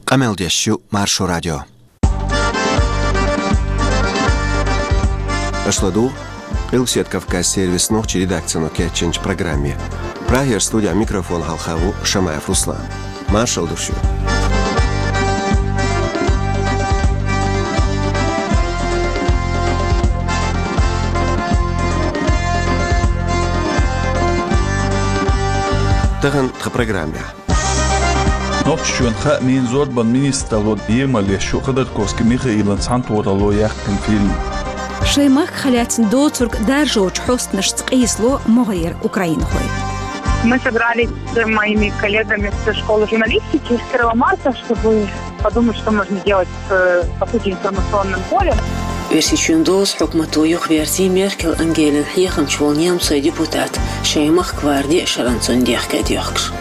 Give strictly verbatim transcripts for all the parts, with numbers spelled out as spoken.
Къамел деш ю Маршо радио. Аша ладугӀу Къилбседа Кавказ сервисан нохчийн редакцино кечйинчу программе. Прагера студехь микрофон хьалха ву Шамаев Руслан. Маршалла ду шуьга. Тахана тхан программехь. Нохчийчоьнан хаамийн, зорбанан министралло емал еш ю Ходорковский Михаилан цхьаьнатохаралло яьккхина фильм. Шайн махках лаьцна доцург даржочу хьостанашца къийсало могӀарера украинхой. Мы собрались с моими коллегами со школы журналистики с первого марта, чтобы подумать, что можно делать с, по сути, информационным полем. Оьрсийчоьнан доза хьукмато юхаверзий Меркель Ангелин хьехамча волу немцойн депутат, шайн махка варде шарна цунна дехке а доьхкуш.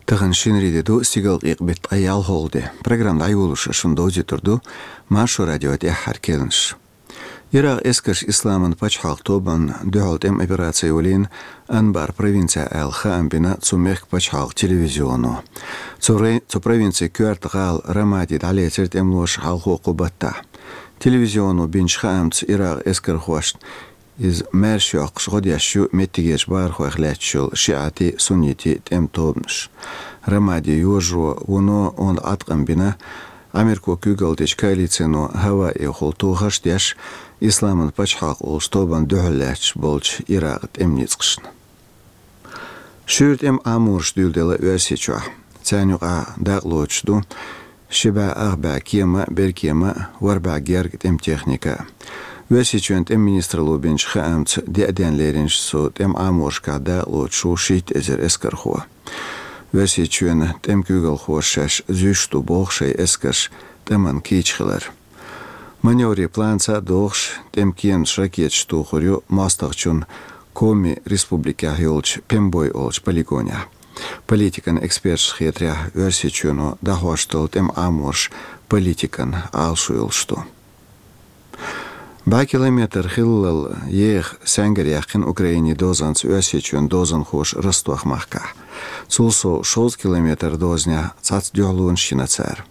Тахана шинарин де ду, стигалкъекъа беттан ткъе ялхалгӀа де. Программа дӀайолош шуна довзуьйтур ду Маршо радион тӀаьххьара керланаш. Иракъан эскарша Исламан пачхьалкхан тобанна дуьхьал тӀеман операци йолийна Анбар провинцехь аьлла хаам бина цу мехкан пачхьалкхан телевизионо. Цу рай-, цу провинцин коьрта гӀала Рамади дӀалецира тӀемалоша хьалхо кху баттахь. Телевизионо бинчу хаамца, Иракъан эскархошна иза маьрша йоккхуш гӀо деш ю меттигерчу бахархойх лаьтташ йолу шиӀатийн, суннитийн тӀеман тобанаш. Рамади йожаро вуно онда Ӏаткъам бина Америко куьйгалла дечу коалицино хӀаваэхула тохарш а деш, Исламан пачхьалкх олучу тобанна дуьхьал лаьтташ болчу Иракъан тӀеман ницкъашна. Шуьйра тӀеман Ӏамораш дуьйладелла Оьрсийчохь. Царна юкъахь дакъалоцуш ду ши бӀе ах бӀе кема а, беркема а, ворхӀ бӀе герга тӀеман техника а. Оьрсийчоьнан тӀеман министралло бинчу хаамца, деа денна леринчу цу тӀеман Ӏаморашкахь дакъалоцуш ву шийтта эзар эскархо. Оьрсийчоьнан тӀеман куьйгалхоша шаьш зуьйш ду боху шайн эскарш тӀеман кийча хилар. Маневрийн планца а догӀуш, тӀеман кеманаш ракеташца тухур ю мостагӀчун Коми республикехь йолчу Пембой олучу полигонехь. Политикан эксперташна хетарехь, Оьрсийчоьно дӀахьош долу тӀеман Ӏамораш политикан Ӏалашо йолуш ду. БӀе километр хиллал еха саьнгара яьккхина Украинин дозанца Оьрсийчоьнан дозанхоша Ростов-махкахь. Цул сов шовзткъа километр дозанехь цхьацца дуьхьалонаш йина цара.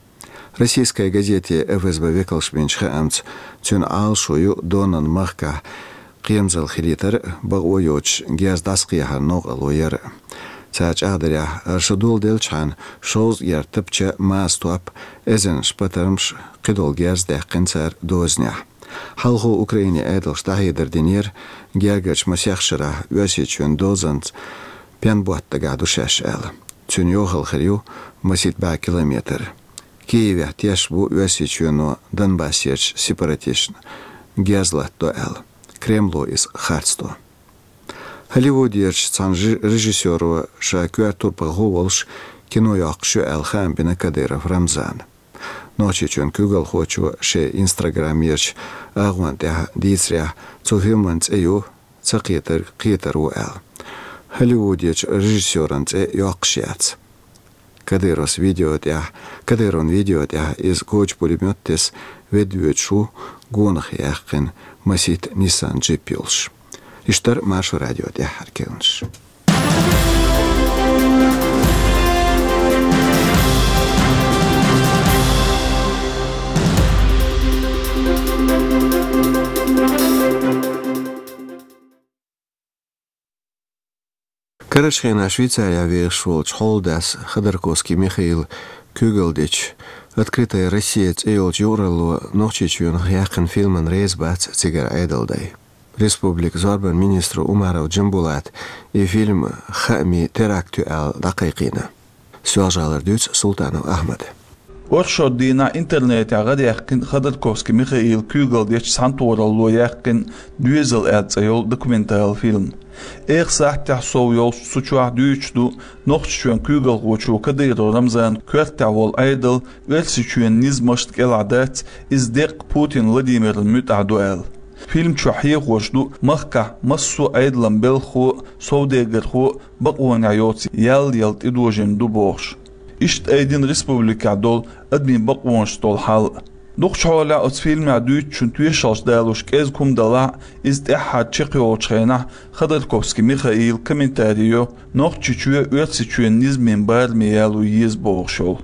Российская газете ФСБ векалша бинчу хаамца, цуьнан Ӏалашо ю Донан махкахь кхерамзалла хилийтар а, бакъо йоцуш герз дӀасакхехьаран новкъарло яр а. Цара чӀагӀдарехь, хӀара шо доладелчхьана, шовзткъа герга тапча, маса топ, эзарнаш патармаш, кхидолу герз даьккхина цара дозанехь. Хьалхо Украинин Ӏедалша дӀахьедар динера, гергарчу масех шарахь Оьрсийчоьнан дозанца пенботта дагахь ду шаьш аьлла. Цуьнан йохалла хир ю масийтта бӀе километр. Киевехь тешаш бу Оьрсийчоьно Донбассерчу сепаратисташна герз латтадо аьлла. Кремло иза харцдо. Холливудерчу цхьана жи-, режиссёро ша коьрта турпалхо волуш кино йоккхуш ю аьлла хаам бина Кадыров Рамзана. Нохчийчоьнан куьйгалхочо шен инстаграмерчу агӀонна тӀехь дийцарехь, цу фильман цӀе ю «Ца кхетарг кхетар ву» аьлла. Холливудерчу режиссёран цӀе йоккхуш яц. Кадыровс видео тӀехь, Кадыровн видео тӀехь иза коча пулемёт тесна ведда воьдуш ву, гонах яьккхина масийтта Nissan джип йолуш. Иштта дара Маршо радион тӀаьххьара керланаш. Карарчу хенахь Швейцарехь вехаш волчу хьолдас Ходорковский Михаила куьйгалла дечу «Открытая Россия» цӀе йолчу юкъаралло Нохчийчоьнах яьккхина фильмана реза бац цигара Ӏедалан дай. Республикан зорбанан министро Умаров Джамбулата и фильм хаамийн теракт ю аьлла дӀакхайкхийна. Соьлжа-ГӀалара дуьйцу Султанов Ахьмада. Оршот дийнахь интернетехь гӀарадаьккхина Ходорковский Михаила куьйгалла дечу цхьаьнатохаралло яьккхина «Доьзал» аьлла цӀе йолу документалан фильм. Эха сахьтехь сов йолуш цу чохь дуьйцуш ду Нохчийчоьнан куьйгалхочо Кадыров Рамзанан коьртехь волу Ӏедал Оьрсийчоьнан низамашна кӀелахь дац, иза деккъа Путин Владимирна муьтӀахь ду аьлла. Фильм чохь хьехош ду махкахь массо а Ӏедалан белхахо а, совдегархо а бакъонехь йоцу ял яла тӀедожийна ду бохуш. Иштта айдина республикехь долу адамийн бакъонашца долу хьал а. Дукхача хьолехь оцу фильмехь дуьйцучун тоьшаллаш далош кӀезиг хӀума далахь а, иза тӀаьххьара чекхйолучу хенахь Ходорковский Михаила комментари йо Нохчийчоь Оьрсийчоьнан низамийн бараме яло еза бохуш йолу.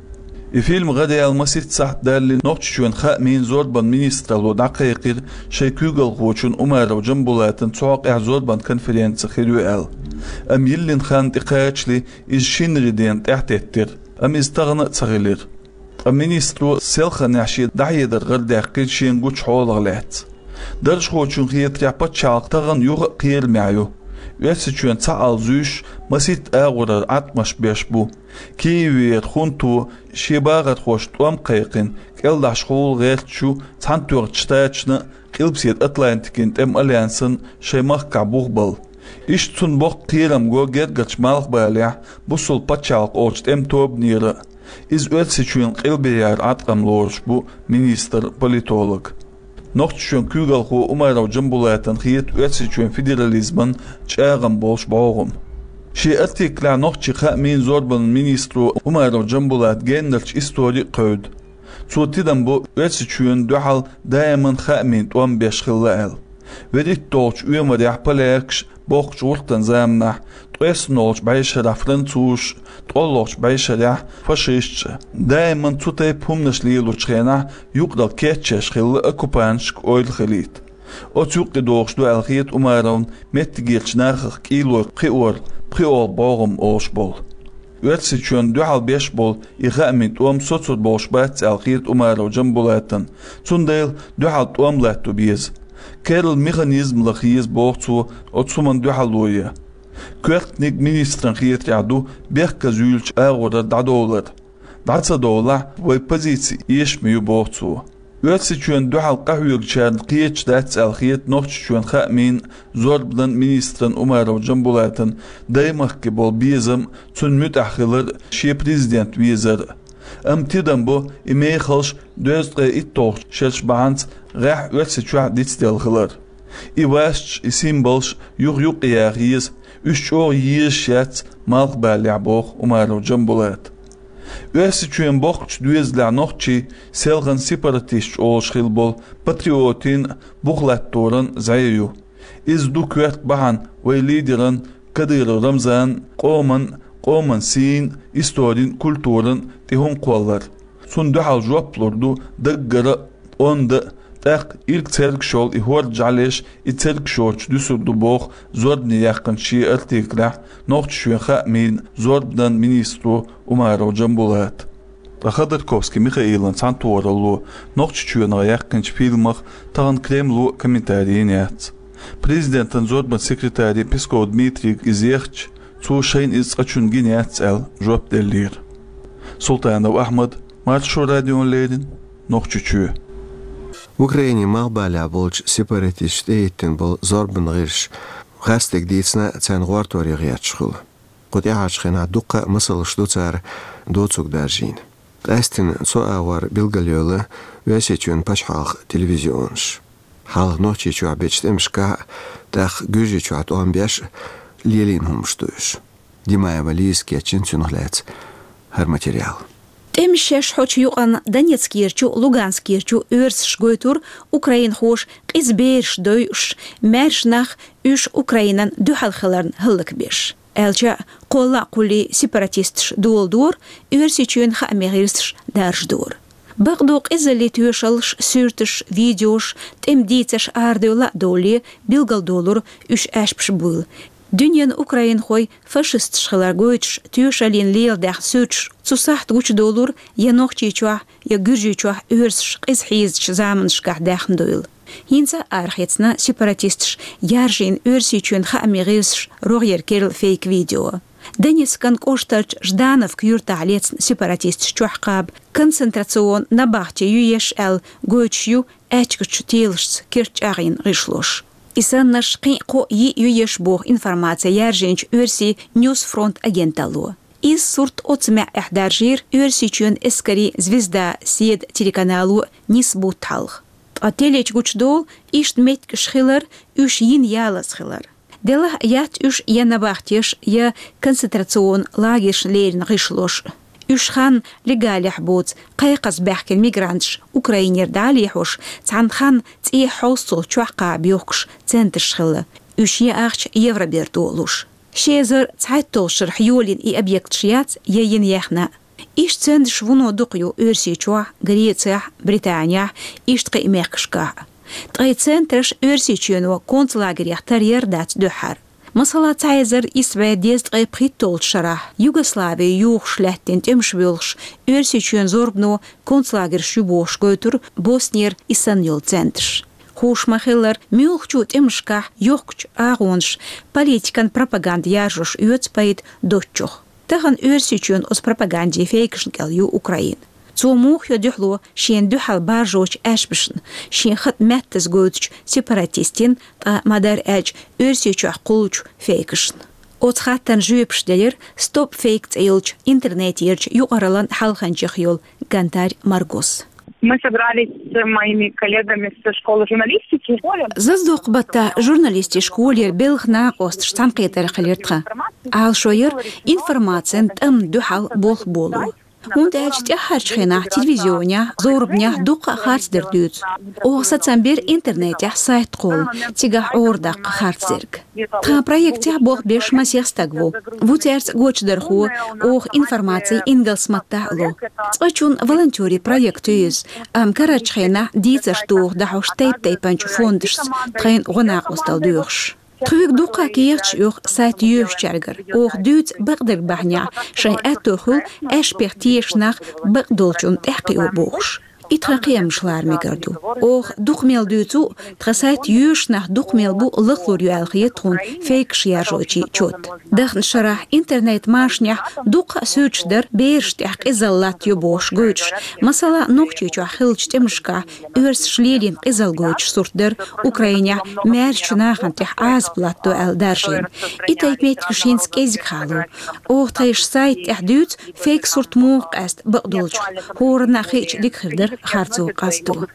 И фильм гӀараяьлла масийтта сахьт далале, Нохчийчоьнан хаамийн, зорбанан министралло дӀакхайкхира шайн куьйгалхочун Умаров Джамбулатан цу хьокъехь зорбанан конференци хир ю аьлла. Амма йиллина хан тӀекхачале иза шинарин дена тӀаьхьатеттира, амма иза тахана а ца хилира. Ткъа министро селханехь шен дӀахьедар гӀарадаьккхира шена гучу хьолах лаьцна. Даржхочунна хетарехь, пачхьалкх тахана юха а кхерамехь ю. Оьрсийчоьнан цхьаалла зуьйш масийтта агӀорара Ӏаткъамаш беш бу. Киевера хунто шен бахархошна тӀом кхайкхина, кӀелдахьаш хула гӀерташ ю Цхьаьнатоьхначу Штаташна а, Къилбаседа Атлантикин тӀеман альянсана шайн махкахь бух балла. Иштта цунна боккха кхерам го гергарчу Малхбалехь бусалба пачхьалкх олучу тӀеман тобанера а. Иза Оьрсийчоьнан къилбехьара Ӏаткъам лоруш бу министр-политолога. Нохчийчоьнан куьйгалхо Умаров Джамбулатана хета Оьрсийчоьнан федерализман чӀагӀам болуш бӀогӀам. Шен артиклехь нохчийн хаамийн, зорбанан министро Умаров Джамбулата геннарчу истори а кхевда. Цо тидам бо Оьрсийчоьнна дуьхьал даиман хаамийн тӀом беш хилла аьлла. ВуьрхӀитталгӀачу оьмарехь полякаш, бохкучу гӀуртан заманахь, ткъеснолгӀачу бӀешарахь французаш, ткъолгӀачу бӀешарехь фашисташ, даиман цу тайпа хӀуманаш лелочу хенахь юкъаралла кечъеш хилла оккупанташка ойла хилийта. Оцу юккъе догӀуш ду аьлла хета Умаровна меттигерчу нахах кӀийлой кхиор, пхиъолгӀа бӀогӀам олуш болу. Оьрсийчоьнна дуьхьал беш болу и хаамийн тӀом соцур болуш бац аьлла хета Умаров Джамбулатана, цундела дуьхьал тӀом латто беза. Керла механизм лаха еза, боху цо, оцу хӀуманна дуьхьало ян. Коьртаниг министран хетарехь ду бехказа юьйлучу агӀорара дӀадовлар. ДӀа ца довлахь, вайн позици эшаме ю, боху цо. Оьрсийчоьнна дуьхьал къахьоьгучарна кхеташ дац аьлла хета Нохчийчоьнан хаамийн, зорбанан министран Умаров Джамбулатан даймахке болу безам, цунна муьтӀахь хилар, шен президент везар. Амма тидам бо и мехалш дезткъе итталгӀачу шераш бахьанца гӀеххьа Оьрсийчохь дицделла хилар. И васчаш, и символаш юха-юккъе яха еза, уьш чӀогӀа езаш яц Малхбалехь, боху Умаров Джамбулата. Оьрсийчоьнан боккхачу доьзалехь нохчий селхана сепаратисташ олуш хилла болу патриотийн, бух латторан зӀе ю. Иза ду коьрта бахьана вайн лидеран Кадыров Рамзанан, къоман, къоман сийна, историн, культуран тӀе хӀума кхоллар. Цунна дуьхьал жоп лур ду даггара а, онда а, тӀаккха ирг цергаш йолу и хӀорда жӀаьлеш и цергаш йоцуш дуьсур ду, боху зорбане яьккхинчу шен артиклехь Нохчийчоьнан хаамийн, зорбанан министро Умаров Джамбулата. Ткъа Ходорковский Михаилан цхьаьнатохаралло Нохчийчоьнах яьккхинчу фильмах тахана Кремло комментари йина яц. Президентан зорбанан секретаре Песков Дмитрийга иза ехча, цо шайна иза цкъачунна гина яц аьлла, жоп деллера. Султанов Ахьмад, Маршо радиона леррина, Нохчийчоь. Украинин малхбалехь болчу сепаратисташа тӀехӀиттина болу зорбанан гӀирсаш гӀазкхига дийцина, царна гӀортор ян гӀерташ хуьлу. Кху тӀаьхьарчу хенахь дуккха а масалш ду цара доцург даржийна. Къаьсттина цу агӀор билгалйойла Оьрсийчоьнан пачхьалкхан телевизионаш. Хьалха Нохчийчохь бечу тӀемашкахь а, тӀаккха Гуьржийчохь тӀом беш а лелийна хӀуманаш ду уьш. Димаева Лизас кечйина цунах лаьцна хӀара материал. ТӀемаш шаьш хьочу юкъанна Донецкерчу, Луганскерчу оьрсаша гойтура украинхоша къиза бераш дойуш, маьрша нах уьш Украинан дуьхьал хиларна хӀаллакбеш. Аьлча а, кхолла а кхуллий сепаратисташ доладора, Оьрсийчоьнан хаамийн гӀирсаш даржадора. Бакъду, къизаллин тоьшаллаш, суьрташ, видеош, тӀеман дийцарш арадевлла а довлий, билгалдолура уьш аьшпаш буйла. Дуьненан украинхой фашисташ хилар гойтуш, тоьшаллин леладаьхна суьрташ цу сахьта гучудолура я Нохчийчохь, я Гуьржийчохь оьрсаш къиза хьийзачу заманашкахь даьхна дуйла. ХӀинца а арахецна сепаратисташа яржийна Оьрсийчоьнан хаамийн гӀирсаша рогӀера керла фейк-видео. Донецкан кӀоштарчу Ждановка юьртахь лецна сепаратисташа чохь кхаба концентрационни набахти ю еш аьлла гойтуш ю аьчкачу телашца керт чӀагӀйина гӀишлош. И саннарш кхин а кхо-йиъ ю еш боху информаци яржийначу оьрсийн Ньюсфронт агенталло. Иза сурт оццу маьӀӀехь даржийра Оьрсийчоьнан эскарийн Звезда седа телеканало нисса бутт хьалха. Ткъа телечу гучудолу иштта меттигаш хилар, уьш йина ялаза хилар. Делахь а яц уьш я набахтеш, я концентрационни лагершна леррина гӀишлош. Уьш ханна легалехь боцу, кхайкхаза баьхкина мигранташ Украинера дӀа а лехьош, цхьана ханна цӀе хьовсцалц чохь кхаба йохкуш центраш хилла. Уьш яахча Евроберто а луш. Ши эзар цхьайтталгӀачу шарахь йолийна и объекташ яц я йина яьхна. Иштта центраш вуно дукха ю Оьрсийчохь, Грецехь, Британехь, иштта кхин а мехкашкахь. Ткъа и центраш Оьрсийчоьно концлагерех тар яр дац дуьххьара. Масала, цхьа эзар исс бӀе дезткъе пхийтталгӀачу шарахь Югослави йохош лаьттина тӀемаш воьлхуш, Оьрсийчоьнан зорбано концлагерш ю бохуш гойтура Боснера и санна йолу центраш. Хууш ма-хиллара, муьлххачу тӀемашкахь йохкучу агӀонаш политикан пропаганда яржош оьцу пайда доцучух. Тахана Оьрсийчоьнан оцу пропагандин фейкашна кӀел ю Украина. Цо муха йо дуьхьало шена дуьхьал баржочу аьшпашна, шен хатӀ меттаза гойтучу сепаратистийн, ткъа ма-дарра аьлча, Оьрсийчохь кхуллучу фейкашна? Оцу хаттарна жоьпаш делира Stop Fake цӀе йолчу интернетерчу юкъараллин хьалханчех йолу Гантарь Маргос. Мы собрались с моими коллегами со школы журналистики. Заздоккху баттахь журналистийн школера белхан накъосташ цхьаьнакхетар хилира тхан. Ӏалашо яра информацин тӀамна дуьхьал болх боло. ХӀунда аьлча тӀаьххьарчу хенахь телевизионехь, зорбанехь дуккха а харцдерг дуьйцу. Оха сацам бира интернетехь сайт кхолла, цигахь Ӏора даккха харцдерг. Тхан проектехь болх беш масех стаг ву. Ву цаьрца гочдархо, оха информаци ингалс маттахь а ло. Цкъачунна волонтерийн проект ю иза, амма карарчу хенахь дийцарш доху дӀахьош тайп-тайпанчу фондашца тхайна гӀо-накъосталла доьхуш. Тхоьга дуккха а кехаташ оьху сайт йоьшучаьргара. Оха дуьйцу бакъдерг бахьанехь, шайн аьтто хуьлу аьшпех тешаш нах бакъдолчунна тӀаьхьакхио бохуш. И тхан кхиамаш лара мегар ду. Оха дукха мел дуьйцу, тхан сайт йоьшуш нах дукха мел бу лахлур ю аьлла хета тхуна фейкаш яржочийн чот. Даханчу шарахь интернет-машанехь дуккха а суьрташ дара берашна тӀехь къизалла латтайо бохуш гойтуш. Масала, Нохчийчохь хиллачу тӀемашкахь оьрсаша лелийна къизалла гойтуш сурт дара, Украинехь маьршачу нахана тӀехь Ӏазап латтадо аьлла даржийна. И тайпа меттигаш хӀинца кӀезиг хьалу. Оха тхайн сайта тӀехь дуьйцу, фейк сурт муха къаьста бакъдолчух, хӀоранна а хиъча дика хир дара харцо къасто.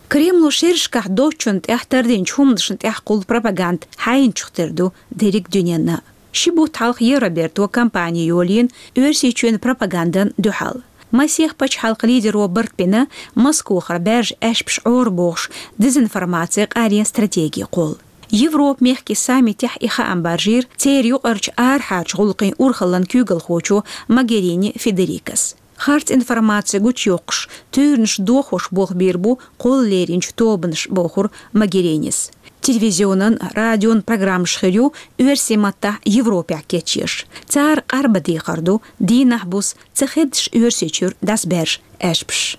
Кремло шерашкахь доцчунна тӀехь тардинчу хӀуманашна тӀехь кхуллу пропаганда хьайначух тера ду дерриг дуьненна. Ши бутт хьалха Евроберто кампани йолийна Оьрсийчоьнан пропагандан дуьхьал. Масех пачхьалкхан лидеро барт бина Москохара баьржа аьшпаш Ӏора бохуш дезинформаци къарен стратеги кхолла. Европа-мехкийн саммитехь и хаам баржийра церан юкъарчу арахьарчу гӀуллакхийн урхаллин куьйгалхочо Могерини Федерикас. Харц информаци гучуйоккхуш, туьйранаш дохош болх бийр бу кхолла леринчу тобанаш, бохура Могеринис. Телевизионан, радион программаш хир ю оьрсийн маттахь Европехь кечъеш. Цара къарбан дехар ду, дийнахь-буса ца хеддаш Оьрсийчуьра дӀасабаьржа аьшпаш.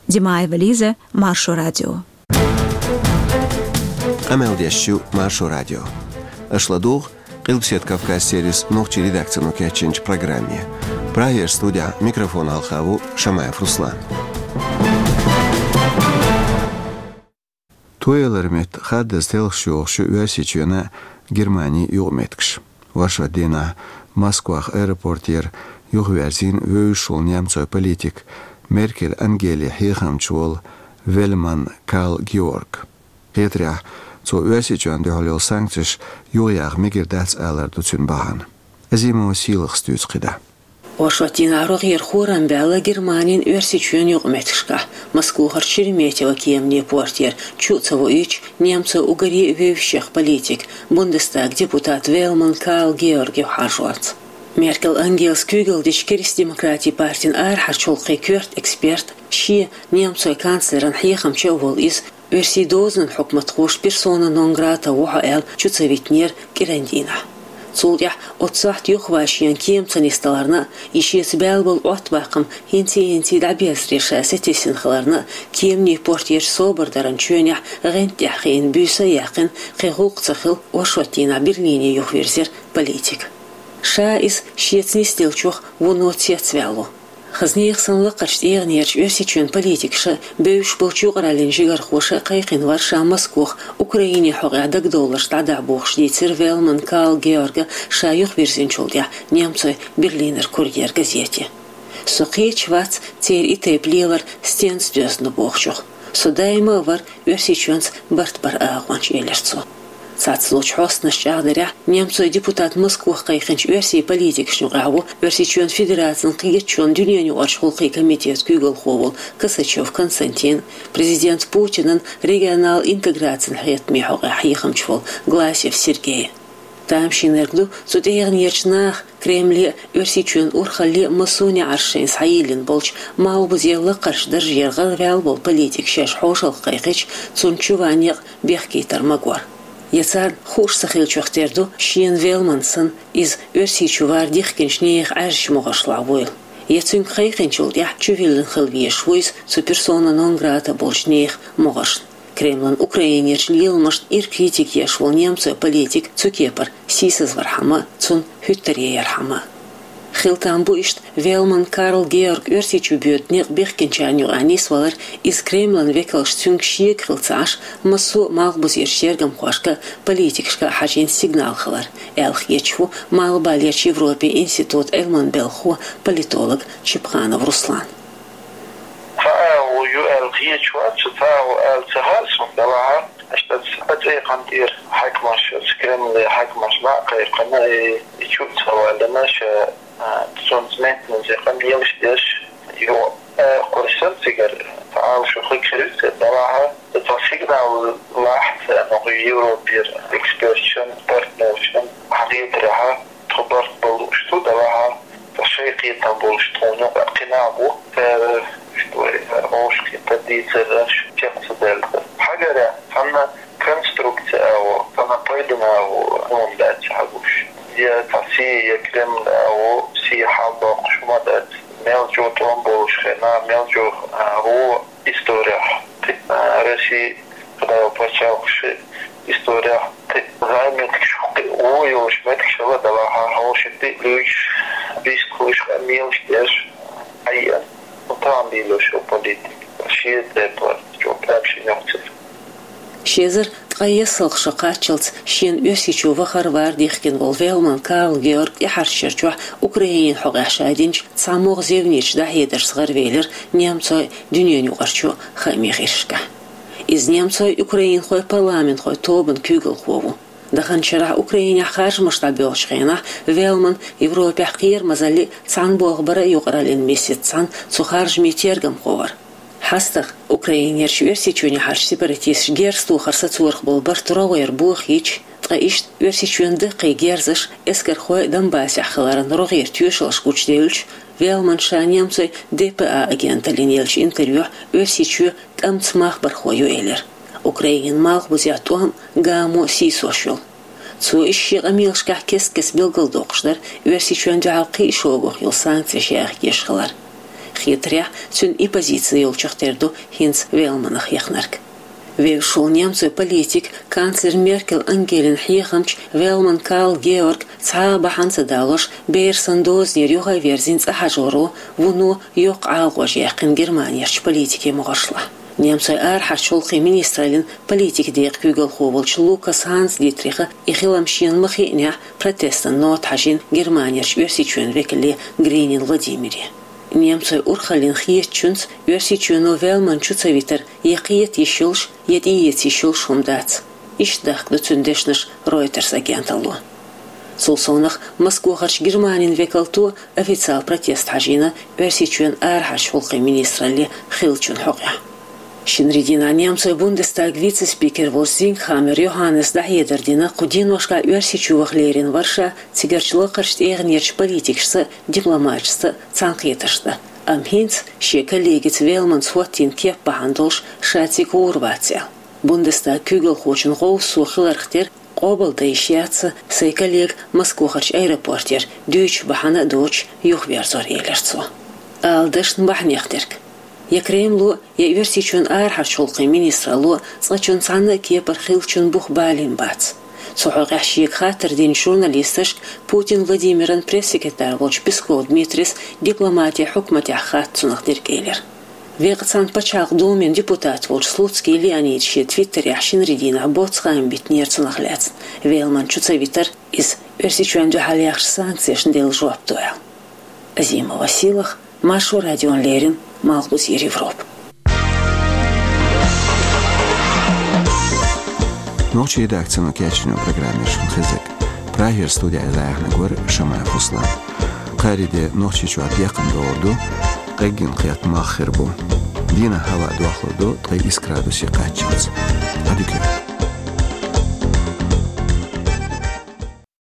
Димаева Лиза, Маршо радио. Къамел деш ю Маршо радио. Аша ладугӀу Къилбаседа Кавказ сервисан нохчийн редакцино кечйинчу программе. Прагера студехь микрофон хьалха ву Шамаев Руслан. Тоелар метта хаддаза телхаш йохуш ю Оьрсийчоьнан, Германин юкъаметтигаш. Оршот дийнахь Москвахь аэропортера юхаверзийна вевзаш волу немцойн политик, Меркель Ангелин хьехамча волу Вельман Карл Георг. Хетарехь, цо Оьрсийчоьнна дуьхьал йолу санкцеш юхаяха мегар дац алар ду цуьнан бахьана. Азимова Сийлахас дуьйцу кхидӀа. Оршот дийнахь рогӀера хӀорам баьлла Германин, Оьрсийчоьнан юкъаметтигашкахь, Москохара Шереметьево кеманийн портера, чу а ца воуьйтуш, немцойн уггаре а вевзачех политик, Бундестаган депутат Вельман Карл Георг юхахьажорца. Меркель Ангелас куьйгалла дечу Кристдемократийн партин арахьарчу гӀуллакхийн коьрта эксперт, шен, немцойн канцлеран хьехамча а волу иза, оьрсийн дозанан хьукматхоша персона нон грата ву хьо аьлла чу ца витинера кӀиран дийнахь. Цул тӀаьхьа оццу сохьта юхаван шена кема ца нисдаларна а, и шеца баьлла болу Ӏоттабаккхам хӀинций-хӀинций дӀаберзаре ша сатийсина хиларна а, кеманийн портерчу собар даран чоьнехь гӀанта тӀехь хиъна буьйса а яьккхина, кхин гӀуллакх ца хилла, оршот дийнахь Берлине юхавирзира политик. Ша иза шеца нисделлачух вуно цецваьлла ву. Хаза нехан санна лакхарчу тӀегӀанерчу Оьрсийчоьнан политикаша, бевзаш болчу юкъараллин жигархоша кхайкхина вара ша Москох Украинин хьокъехь дагадовларш дӀадахьа бохуш, дийцира Вельман Карл Георга ша юхавирзинчул тӀаьхьа немцойн Берлинер Курьер газете. Со кхеташ вац церан и тайпа лелар стенца доьзна бохучух. Со даима а вара Оьрсийчоьнца барт баран агӀонча, элира цо. Цхьацца долчу хьостанаша чӀагӀдарехь, немцойн депутат Москох кхайкхинчу оьрсийн политикашна юкъахь ву Оьрсийчоьнан Федерацин кхеташонан дуьненаюкъарчу гӀуллакхийн комитетан куьйгалхо волу Косачев Константин, президент Путинан регионал интеграцин хьехамчу хьокъехь хьехамча волу Гласев Сергей. Тамашийнарг ду цу тӀегӀанерчу наха Кремле а, Оьрсийчоьнан урхалле а массо а неӀарш шайна схьайиллина болчу малхбузера лакхарчу даржера гӀараваьлла волу политик шаьш хьошалгӀа кхайкхича, цунна чу ван некъ бехкийтар магор. Я царна хууш ца хиллачух тера ду, шена Велман санна, иза Оьрсийчу вар дихкинчу нехан Ӏаьржачу могӀаршлахь вуйла. Я цуьнга кхайкхинчул тӀаьхьа чувиллина хила везаш ву иза цу персона нон грата болчу нехан могӀаршна. Кремлан Украинерчу леламашна ира критика еш волу немцойн политик цу кепара сийсазвархьама, цунна хӀуьттаре ярхьама. Хила там бу иштта Велман Карл Георг Оьрсийчу боьду некъ бехкинчарна юкъахь нисвалар, иза Кремлан векалш цуьнга шега хила ца Ӏаш, массо а малхбузерчу тергамхошка а, политикашка а хьажийна сигнал хилар, аьлла хеташ ву Малхбалерчу Европин институтан Ӏилманан белхахо, политолог Чипханов Руслан. Цхьа агӀо ю аьлла хеташ вац, цхьа агӀо ала ца хаьа суна, делахь а, аша аса цӀе кхантӀера хьаькамаш, аса Кремле хьаькамаш дӀа а кхайкхина, и, и чу а ца валлина, ша, а, цунца меттаназа къамелаш деш, ю, а, кхуьссина цигара, цхьа агӀо шу хиг хир ю церан, делахь а, цхьа сигнал лахь царна хӀокху Европера эксперташна, партнершна, хьан хетарехь, тхо барт бан лууш ду, делахь а, ткъа шайн кхетам болуш тхуна юкъахь кхин нах бу, цара, иштта вай, цара вовшахкхетар дийцар аша чекх ца даьлла. Хьагарехь, цхьанна конструкция агӀо, цхьанна пайдана агӀо хӀума дац хьан гуш. Я цхьа сий, я Кремль агӀо, сий хьалдоккхуш хӀума дац. Мел чӀогӀа тӀом болуш хенахь, мел чӀогӀа, а, гӀо исторехь, а, Росси, Кадавр пачхьалкхаш исторехь кхин зӀе меттигаш, кхин вон йолуш меттигаш хилла, делахь а, хьошалгӀа тӀе а луьйш, бийсалуш, къамелаш деш, хьаеана. Ну, тахана дийла шу политик, шен тӀе а парт, чӀогӀа прям шен йоккхуш. Ши эзар ткъе ялх шо кхаччалц шена Оьрсийчу вахар-вар дихкина волу Велман Карл Георг тӀаьхьарчу шарчохь Украинин хьокъехь ша динчу цхьа могӀа зевнечу дӀахьедаршца гӀаравелира немцойн дуьненаюкъарчу хаамийн гӀирсашкахь. Иза немцойн украинхойн парламентхойн тобанан куьйгалхо ву. Даханчу шарахь Украинехь харжамаш дӀабоьлхучу хенахь Велман Европехь кхерамазаллин а, цхьаьна болх баран а юкъараллин а месаца цхьаьна цу харжамийн тергамхо вара. ХьастагӀа Украинерчу Оьрсийчоьнехьарчу сепаратисташа герз тохар сацорах болу барт рогӀера бохийча, ткъа иштта Оьрсийчоьнан даккхий герзаш эскархойн Донбассехь хиларан рогӀера тоьшаллаш гучуделлачу, Велман ша немцойн Д П А агенталлина еллачу интервьюхь Оьрсийчоь тӀамца махбархо ю элира. Украинин малхбузехь тӀом а, гамо а сийсош йолу. Цо иза шен къамелашкахь кест-кеста билгалдоккхуш дара Оьрсийчоьнна дуьхьал кхин а шогах йолу санкцеш яхкеш хилар. Хетарехь, цуьнан и позици йолчух тера ду хӀинца Велманах яхнарг. Вевзаш волу немцойн политик, канцлер Меркель Ангелин хьехамча Велман Карл Георг цхьа а бахьана ца далош, бер санна дозанера юха а верзина цӀа хьажоро, вуно йоккха Ӏалакъош яьккхина Германерчу политикийн могӀаршлахь. Немцойн арахьарчу гӀуллакхийн министраллин политикан декъан куьйгалхо волчу Лукас Ханс Дитриха и хилам шена ма хиънехь, протестан нота хьажийна Германерчу Оьрсийчоьнан векале Гринин Владимире. Немцойн урхаллин хетачуьнца Оьрсийчоьно Велман чу ца витар я кхета йиш йолуш, я тӀеэца йиш йолуш хӀума дац. Иштта дахка ду цуьнан дешнаш Reuters агенталло. Цул совнах Москвахарчу Германин векалто официал протест хьажийна Оьрсийчоьнан арахьарчу гӀуллакхийн министралле хиллачун хьокъехь. Шинарийн дийнахь немцойн Бундестаган вице-спикер волчу Зингхаммер Йоханнеса дӀахьедар дина, кху деношкахь Оьрсийчу ваха лерина вара ша цигарчу лакхарчу тӀегӀанерчу политикашца а, дипломаташца а цхьаьнакхетарш дан. Амма хӀинца шен коллегица Велманца хӀоттийна кеп бахьана долуш ша цига гӀур вац аьлла. Бундестаган куьйгалхочун гӀовсо хиларх тера къобалдан йиш яц сайн коллега Москвахарчу аэропортера дуьйцуш бахьана а доцуш юхаверзор, элира цо. Ала дашна бахьанех дерг. Я Кремло, я Оьрсийчоьнан арахьарчу гӀуллакхийн министралло цкъачунна цхьанна а кепара хиллачун бух балийна бац. Цу хьокъехь шега хаттар динчу журналисташка Путин Владимиран пресс-секретарь волчу Песков Дмитрис дипломатин хьукматехь хатта цунах дерг элира. Векъа цхьана Пачхьалкхан Думин депутат волчу Слуцкий Леонида шен твиттерехь шинарийн дийнахь боцу хаам биттинера цунах лаьцна, Велман чу ца витар, иза Оьрсийчоьнна дуьхьал яхачу санкцешна делла жоп ду аьлла. Азимова Силах, Маршо радиона леррина, Малхбузера Европа. Нохчийн редакцино кечйина программа яра шун хезарг. Прагера студехь дӀаяьхьнарг вара Шамаев Руслан. Кхаарин де Нохчийчохь декхна догӀур ду, къеггина кхетта мах хир бу. Дийнахь хӀаваъ дохлур ду ткъе исс градусе кхаччалц. Ӏадика йойла.